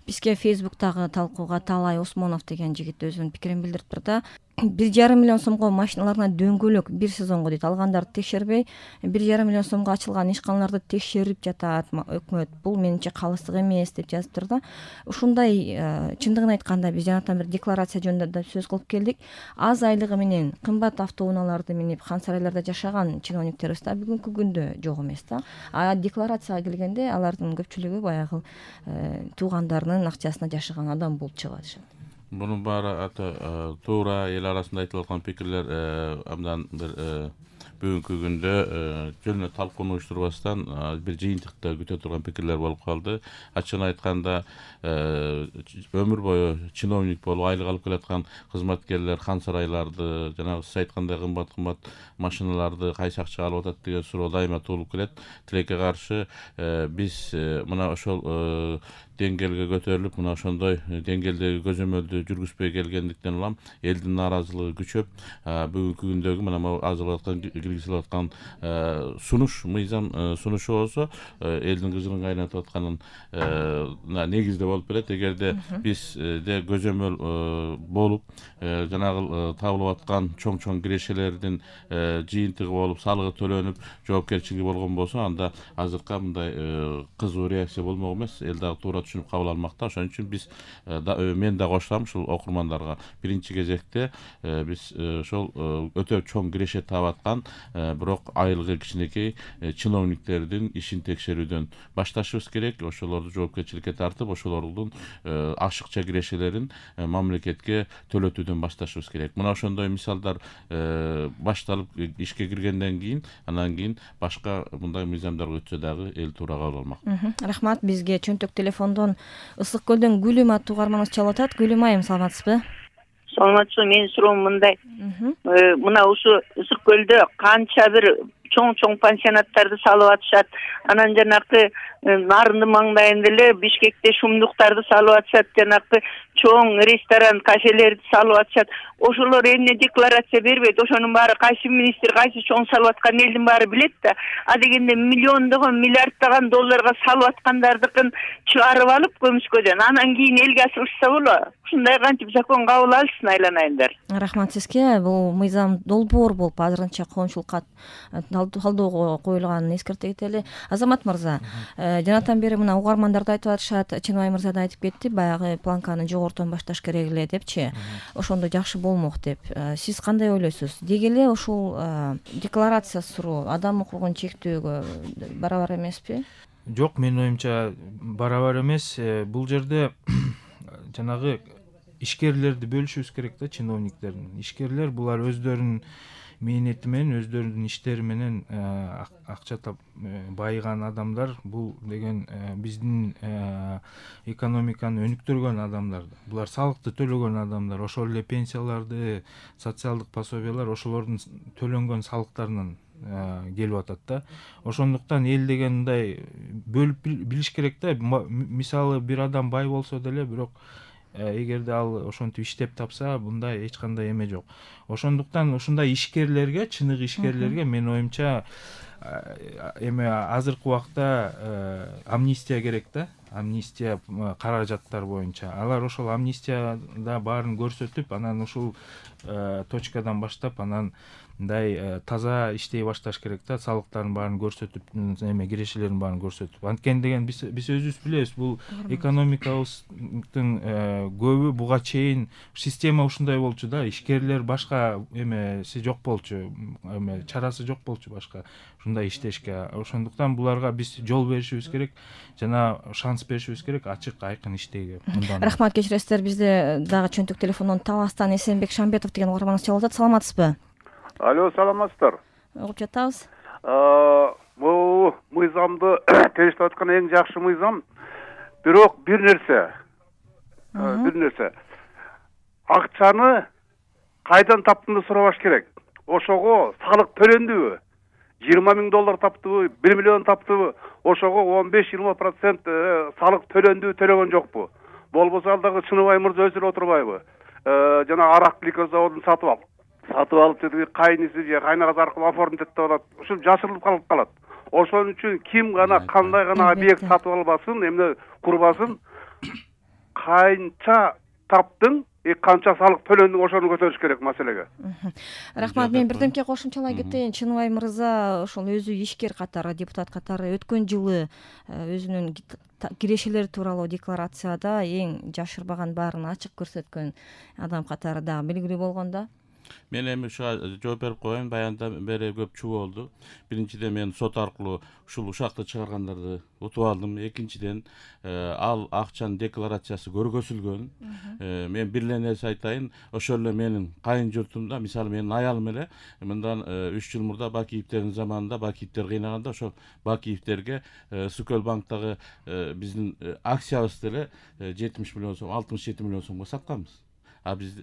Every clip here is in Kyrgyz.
Бизге Facebook'тагы талкууга Талай Осмонов деген жигит өзүнүн пикирин билдириптир да. 1,5 миллион сомго машиналарына дөңгөлөк бир сезонго дейт алгандарды текшербей, 1,5 миллион сомго ачылган ишканаларды текшерип жатат өкмөт. Бул менимче калыстык эмес деп жазыптыр да. Ушундай чындыгын айтканда биз жанатан бир декларация жөнүндө да сөз кылып келдик. Аз айлыгы менен кымбат автоунааларды минип хан сарайларда жашаган чиновниктерибиз да бүгүнкү күндө жок эмес да. А декларацияга келгенде алардын көпчүлүгү баягы туугандарынын акчасына жашаган адам болуп чыгат. Bunun bari tуура эл арасында айтылып аткан пикирлер абдан бир бүгүнкү күндө жөн эле талкууну уюштурбастан бир жыйынтыкта күтө турган пикирлер болуп калды. Ачыгын айтканда өмүр бою чиновник болуп айлык алып келаткан кызматкерлер хан сарайларды, жанагы сиз айткандай кымбат машиналарды кайсы акчага алып атат деген суроо дайыма туулуп келет. Тилекке каршы биз мына ошол деңгээлге көтөрүлүп, мына ошондой деңгээлдеги көзөмөлдү жүргүзбөй келгендиктен улам элдин нааразылыгы күчөп, бүгүнкү күндөгү мына азырылып аткан киргизилип аткан сунуш, мыйзам сунушу болсо элдин кыжырын кайнатып атканын негизде болуп берет. Эгерде бизде көзөмөл болуп, жанагы табылып аткан чоң кирешелердин жыйынтыгы болуп, салыгы төлөнүп, жоопкерчилиги болгон болсо, анда азыркы мындай кызуу реакция болмок эмес. Эл дагы туура түшүнүп кабыл алмакта. Ошон үчүн биз мен да кошулам ушул окурмандарга. Биринчи кезекте биз ошол өтө чоң киреше таап аткан, бирок айлыгы кичинекей чиновниктердин ишин текшерүүдөн башташыбыз керек. Ошолорду жоопкерчиликке тартып, ошолордун ашыкча кирешелерин мамлекетке төлөтүүдөн башташыбыз керек. Мына ошондой мисалдар башталып ишке киргенден кийин, анан кийин башка мындай мыйзамдарга өтсө дагы эл туура кабыл алмак. Рахмат. Бизге чөнтөк телефондон Ысык көлдөн Гүлүм аттуу угарманыбыз чалып атат. Гүлүм айым, саламатсызбы? Саламатсызбы. Менин суроом мындай. Мына ушу Ысык көлдө канча бир чоң пансионаттарды салып атышат. Анан жанакы Нарындын маңдайында эле Бишкекте шумдуктарды салып атышат, жанакы чоң ресторан, кафелерди салып атышат. Ошолор эмне декларация бербейт. Ошонун баары кайсы министр, кайсы чоң салып аткан элдин баары билет да. А дегенде миллиондогон, миллиарддаган долларга салып аткандардыкын чыгарып алып көмүскөдөн, анан кийин элге асырышса болот. Ушундай кантип закон кабыл алышсын, айланайындар. Рахмат сизге. Бул мыйзам долбоор болуп азырынча коомчулукка талдоого коюлганын эскерте кетели. Азамат мырза, жанатан бери мына угармандар да айтып атышат, Чыныбай мырза да айтып кетти, баягы планканы жогорутан башташ керек эле депчи. Ошондо жакшы болмок деп. Сиз кандай ойлойсуз? Деги эле ушул декларация суроо адам укугун чектөөгө барабар эмеспи? Жок, менин оюмча барабар эмес. Бул жерде жанагы ишкерлерди бөлүшүбүз керек да, чиновниктердин. Ишкерлер булар өздөрүнүн мээнети менен, өздөрүнүн иштери менен акча байыган адамдар. Бул деген биздин экономиканы өнүктүргөн адамдар. Булар салыкты төлөгөн адамдар. Ошол эле пенсияларды, социалдык пособиялар ошолордун төлөнгөн салыктарынан келип атат да. Ошондуктан эл деген мындай бөлүп билиш керек да. Мисалы бир адам бай болсо деле, бирок эгерде ал ошентип иштеп тапса, мындай эч кандай эме жок. Ошондуктан ушундай ишкерлерге, чыныгы ишкерлерге менин оюмча азыркы убакта амнистия керек да. Амнистия каражаттар боюнча. Алар ошол амнистияда баарын көрсөтүп, анан ушул точкадан баштап, анан мындай таза иштей башташ керек да. Салыктардын баарын көрсөтүп, кирешелердин баарын көрсөтүп. Анткени деген биз өзүбүз билебиз, бул экономикабыздын көбү буга чейин система ушундай болчу да. Ишкерлер башка эмеси жок болчу, чарасы жок болчу башка ушундай иштешке. Ошондуктан буларга биз жол беришибиз керек, жана шанс беришибиз керек ачык, айкын иштейге. Рахмат, кечиресиздер. Бизде дагы чөнтөк телефондон Таластан Эсенбек Шамбетов деген угарманыбыз чалып атат. Саламатсызбы? Алло, саламатсыздар. Угуп жатабыз. Бул мыйзамды териштеп аткан эң жакшы мыйзам. Бирок бир нерсе. Акчаны кайдан таптыңды сурабаш керек. Ошого салык төлөндүбү? 20 миң доллар таптыбы, 1 миллион таптыбы? Ошого 15-20% салык төлөндүбү, төлөгөн жокпу? Болбосо ал дагы Чыныбай мырза өзү эле отурбайбы? Жана арак гликоз заводун сатып алып деди, кайниси же кайнагасы аркылуу оформить этип алат. Ушул жашырылып калат. Ошон үчүн ким гана кандай гана объект сатып албасын, эмне курбасын, канча таптың, канча салык төлөндүң, ошону көтөрүш керек маселеге. Рахмат. Мен бирдемке кошумчалай кетейин. Чыныбай мырза ошол өзү ишкер катары, депутат катары өткөн жылы өзүнүн кирешелери тууралуу декларацияда эң жашырбаган, баарын ачык көрсөткөн адам катары дагы белгилүү болгон да. Мен эми ушуга жооп берип коеюн. Баяндан бери көп чуу болду. Биринчиден мен сот аркылуу ушул ушакты чыгаргандарды утуп алдым. Экинчиден ал акчанын декларациясы көргөзүлгөн. Мен бир эле нерсе айтайын. Ошол эле менин кайын журтумда, мисалы менин аялым эле мындан 3 жыл мурда Бакиевдердин заманында Бакиевдер кыйнаганда ошол Бакиевдерге Сүкөл банктагы биздин акциябызды эле 70 миллион сом, 67 миллион сомго сатканбыз. Биз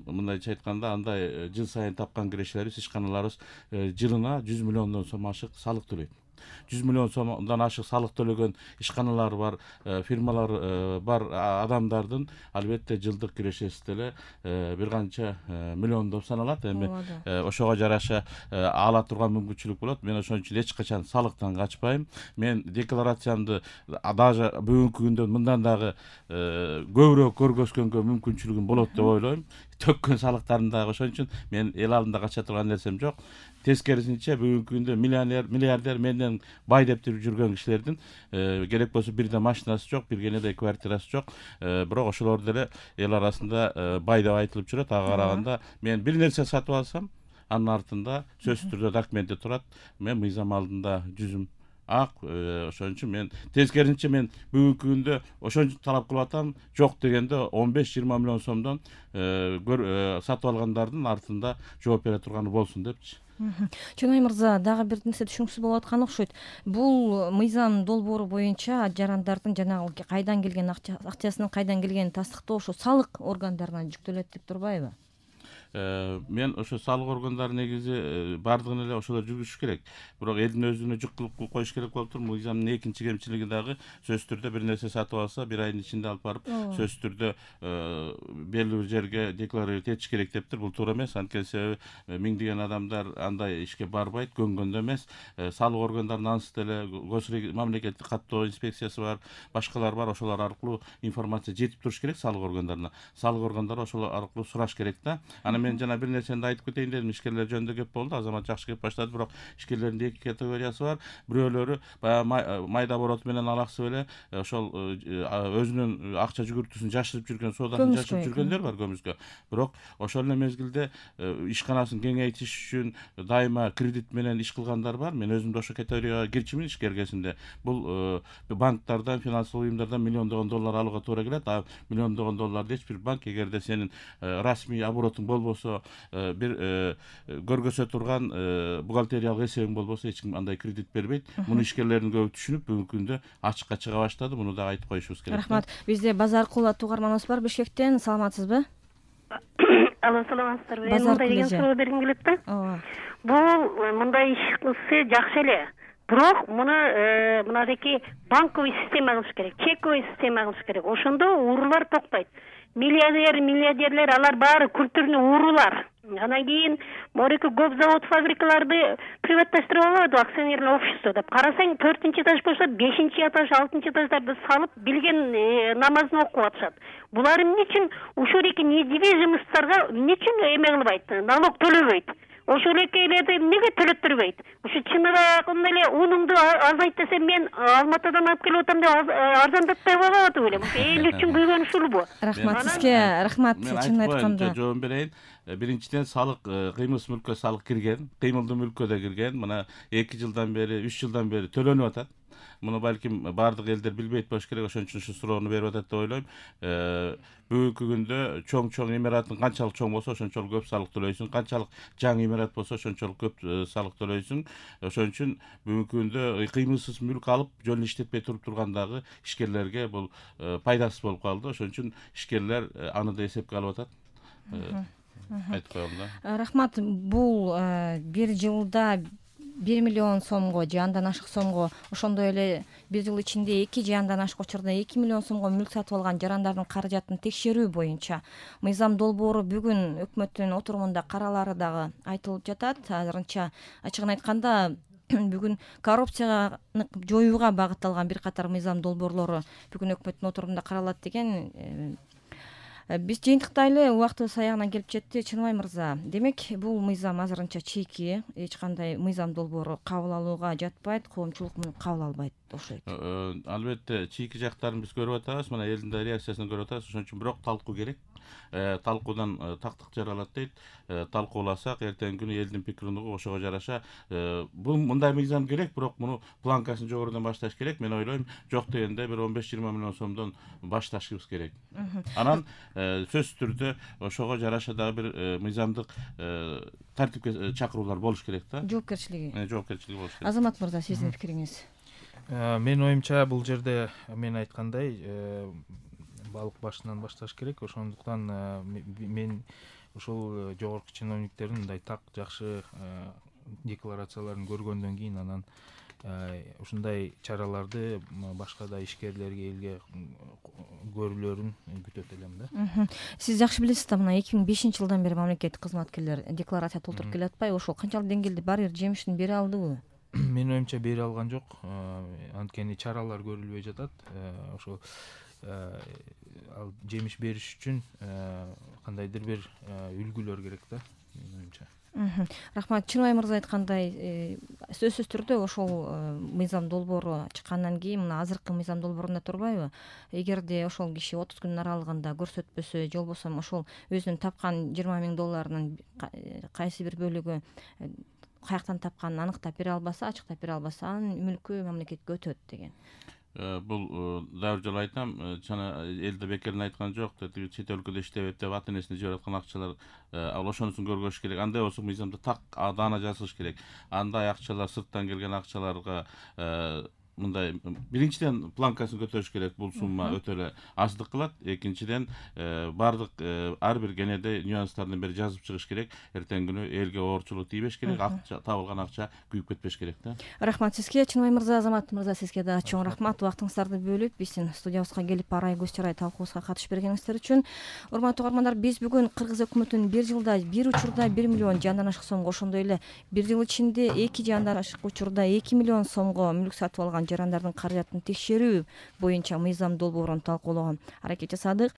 мындайча айтканда андай жыл сайын тапкан кирешелерибиз, ишканаларыбыз жылына 100 миллиондон сом ашык салык төлөйт. 100 миллион сомдон ашык салык төлөгөн ишканалар бар, фирмалар бар адамдардын албетте жылдык кирешеси деле бир канча миллиондоп саналат. Эми ошого жараша ала турган мүмкүнчүлүк болот. Мен ошон үчүн эч качан салыктан качпайм. Мен декларациямды даже бүгүнкү күндө мындан дагы көбүрөөк көргөзгөнгө мүмкүнчүлүгүм болот деп ойлойм. Төккөн салыктарын дагы. Ошон үчүн мен эл алдында кача турган нерсем жок. Тескерисинче бүгүнкү күндө миллиардер менден бай деп жүргөн кишилердин керек болсо бирде машинасы жок, бир кенеде квартирасы жок. Бирок ошолор деле эл арасында бай деп айтылып жүрөт. Ага караганда мен бир нерсе сатып алсам, анын артында сөзсүз түрдө документи турат. Мен мыйзам алдында жүзүм ак. Ошон үчүн мен тескерисинче мен бүгүнкү күндө ошон үчүн талап кылып атам. Жок дегенде 15-20 миллион сомдон сатып алгандардын артында жооп бере турганы болсун депчи. Чыныбай мырза, дагы бир нерсе түшүнүксүз болуп аткан окшойт. Бул мыйзам долбоору боюнча жарандардын жанагы кайдан келген акчасынын кайдан келгенин тастыктоо ошо салык органдарына жүктөлөт деп турбайбы? Мен ошо салык органдары негизи бардыгын эле ошолор жүргүзүш керек. Бирок элдин өзүнө жүк кылып коюш керек болуп тур. Мыйзамдын экинчи кемчилиги дагы сөзсүз түрдө бир нерсе сатып алса, бир айдын ичинде алып барып сөзсүз түрдө белгилүү бир жерге декларировать этиш керек дептир. Бул туура эмес. Анткени себеби миңдеген адамдар андай ишке барбайт, көнгөндө эмес. Салык органдарынын анысы деле мамлекеттик каттоо инспекциясы бар, башкалар бар. Ошолор аркылуу информация жетип туруш керек салык органдарына. Салык органдары ошолор аркылуу сураш керек да. Мен жана бир нерсени айтып кетейин дедим. Ишкерлер жөнүндө кеп болду. Азамат жакшы кеп баштады, бирок ишкерлердин эки категориясы бар. Бирөөлөрү баягы майда оборот менен алаксып эле ошол өзүнүн акча жүгүртүүсүн жашырып жүргөн, соодасын жашырып жүргөндөр бар көмүскө. Бирок ошол эле мезгилде ишканасын кеңейтиш үчүн дайыма кредит менен иш кылгандар бар. Мен өзүм да ошол категорияга кирчүмүн ишкер кезинде. Бул банктардан, финансылык уюмдардан миллиондогон доллар алууга туура келет. Миллиондогон долларды эч бир банк, эгерде сенин расмий оборотуң болбосо, бир көргөзө турган бухгалтериялык эсебиң болбосо, эч ким андай кредит бербейт. Муну ишкерлердин көбү түшүнүп, бүгүнкү күндө ачыкка чыга баштады. Муну да айтып коюшубуз керек. Рахмат. Бизде Базар Кулат угарманыбыз бар Бишкектен. Саламатсызбы? Алло, саламатсыздарбы? Мен мындай деген суроо бергим келет да. Бул мындай иш кылса жакшы эле. Бирок мынадеки банковый система кылыш керек, чековый система кылыш керек. Ошондо уурулар токтойт. Миллиардерлер алар баары культурный уурулар. Анан кийин мореки көп завод, фабрикаларды приватташтырып алат, акционерлик общество деп. Карасаң 4-этаж болсо 5-этаж, 6-этаждарды салып, билген намазын окуп атышат. Булар эмне үчүн ушул эки недвижимосттарга эмне үчүн эме кылбайт, налог төлөбөйт? Ошол экейлерди эмнеге төлөттүрбөйт? Ушу чыныгы эле унуңду азайт десем, мен Алматыдан алып келип атам деп арзандатпай болуп атып элем. Эл үчүн күйгөн ушулбу? Рахмат сизге. Рахмат. Чын айтканда жооп берейин. Биринчиден салык кыймылсыз мүлккө салык кирген, кыймылдуу мүлккө да кирген. Мына 2 жылдан бери, 3 жылдан бери төлөнүп атат. Муну балким бардык элдер билбейт болуш керек. Ошон үчүн ушу суроону берип атат деп ойлойм. Бүгүнкү күндө чоң имараттын канчалык чоң болсо, ошончолук көп салык төлөйсүң. Канчалык жаңы имарат болсо, ошончолук көп салык төлөйсүң. Ошон үчүн бүгүнкү күндө кыймылсыз мүлк алып, жөн иштетпей тургандагы ишкерлерге бул пайдасыз болуп калды. Ошон үчүн ишкерлер аны да эсепке алып атат. Айтып коем да. Рахмат. Бул бир жылда 1 миллион сомго же андан ашык сомго, ошондой эле бир жыл ичинде 2 же андан ашык учурда 2 миллион сомго мүлк сатып алган жарандардын каражатын текшерүү боюнча мыйзам долбоору бүгүн өкмөттүн отурумунда каралары дагы айтылып жатат. Азырынча ачыгын айтканда бүгүн коррупцияны жоюуга багытталган бир катар мыйзам долбоорлору бүгүн өкмөттүн отурумунда каралат деген. Биз жыйынтыктайлы, убактыбыз аягына келип жетти. Чыныбай мырза, демек бул мыйзам азырынча чийки, эч кандай мыйзам долбоору кабыл алууга жатпайт, коомчулук муну кабыл албайт окшойт. Албетте чийки жактарын биз көрүп атабыз, мына элдин да реакциясын көрүп атабыз. Ошон үчүн бирок талкуу керек. Талкуудан тактык жаралат дейт. Талкууласак эртеңки күнү элдин пикирин угуп ошого жараша бул мындай мыйзам керек, бирок муну планкасын жогорудан башташ керек. Мен ойлойм, жок дегенде бир 15-20 миллион сомдон башташыбыз керек. Анан сөзсүз түрдө ошого жараша дагы бир мыйзамдык тартипке чакыруулар болуш керек да. Жоопкерчилиги болуш керек. Азамат мырза, сиздин пикириңиз? Менин оюмча бул жерде мен айткандай балык башынан башташ керек. Ошондуктан мен ошол жогорку чиновниктердин мындай так жакшы декларацияларын көргөндөн кийин анан ушундай чараларды башка да ишкерлерге, элге көрүлөрүн күтөт элем да. Сиз жакшы билесиз да, мына 2005-жылдан бери мамлекеттик кызматкерлер декларация толтуруп келе атпайбы? Ошол канчалык деңгээлде бир жемишин бере алдыбы? Менин оюмча бере алган жок. Анткени чаралар көрүлбөй жатат. Ошол ал жемиш бериш үчүн кандайдыр бир үлгүлөр керек да, менин оюмча. Рахмат. Чыныбай мырза айткандай, сөзсүз түрдө ошол мыйзам долбоору чыккандан кийин мына азыркы мыйзам долбоорунда турбайбы? Эгерде ошол киши 30 күнүн аралыгында көрсөтпөсө, же болбосо ошол өзүнүн тапкан 20 000 долларынын кайсы бир бөлүгү каяктан тапканын аныктап бере албаса, ачыктап бере албаса, анын мүлкү мамлекетке өтөт деген. Бул дагы бир жолу айтам, жана элде бекерден айткан жок, чет өлкөдө иштеп деп ата энесине жиберип аткан акчалар ал ошонусун көргөзүш керек. Андай болсо мыйзамда так даана жазылыш керек. Андай акчалар, сырттан келген акчаларга мындай биринчиден планкасын көтөрүш керек. Бул сумма өтө эле аздык кылат. Экинчиден бардык ар бир кенеде нюанстардын бери жазып чыгыш керек. Эртеңки күнү элге оорчулук тийбеш керек, табылган акча күйүп кетпеш керек да. Рахмат сизге, Чыныбай мырза, Азамат мырза, сизге да чоң рахмат. Убактыңыздарды бөлүп биздин студиябызга келип арай көз чарай талкуубузга катышып бергениңиздер үчүн. Урматтуу угармандар, биз бүгүн Кыргыз өкмөтүнүн бир жылда бир учурда 1 миллион жандан ашык сомго, ошондой эле бир жыл ичинде 2 жандан ашык учурда 2 миллион сомго мүлк сатып алган жарандардын каражатын текшерүү боюнча мыйзам долбоорун талкуулоого аракет жасадык.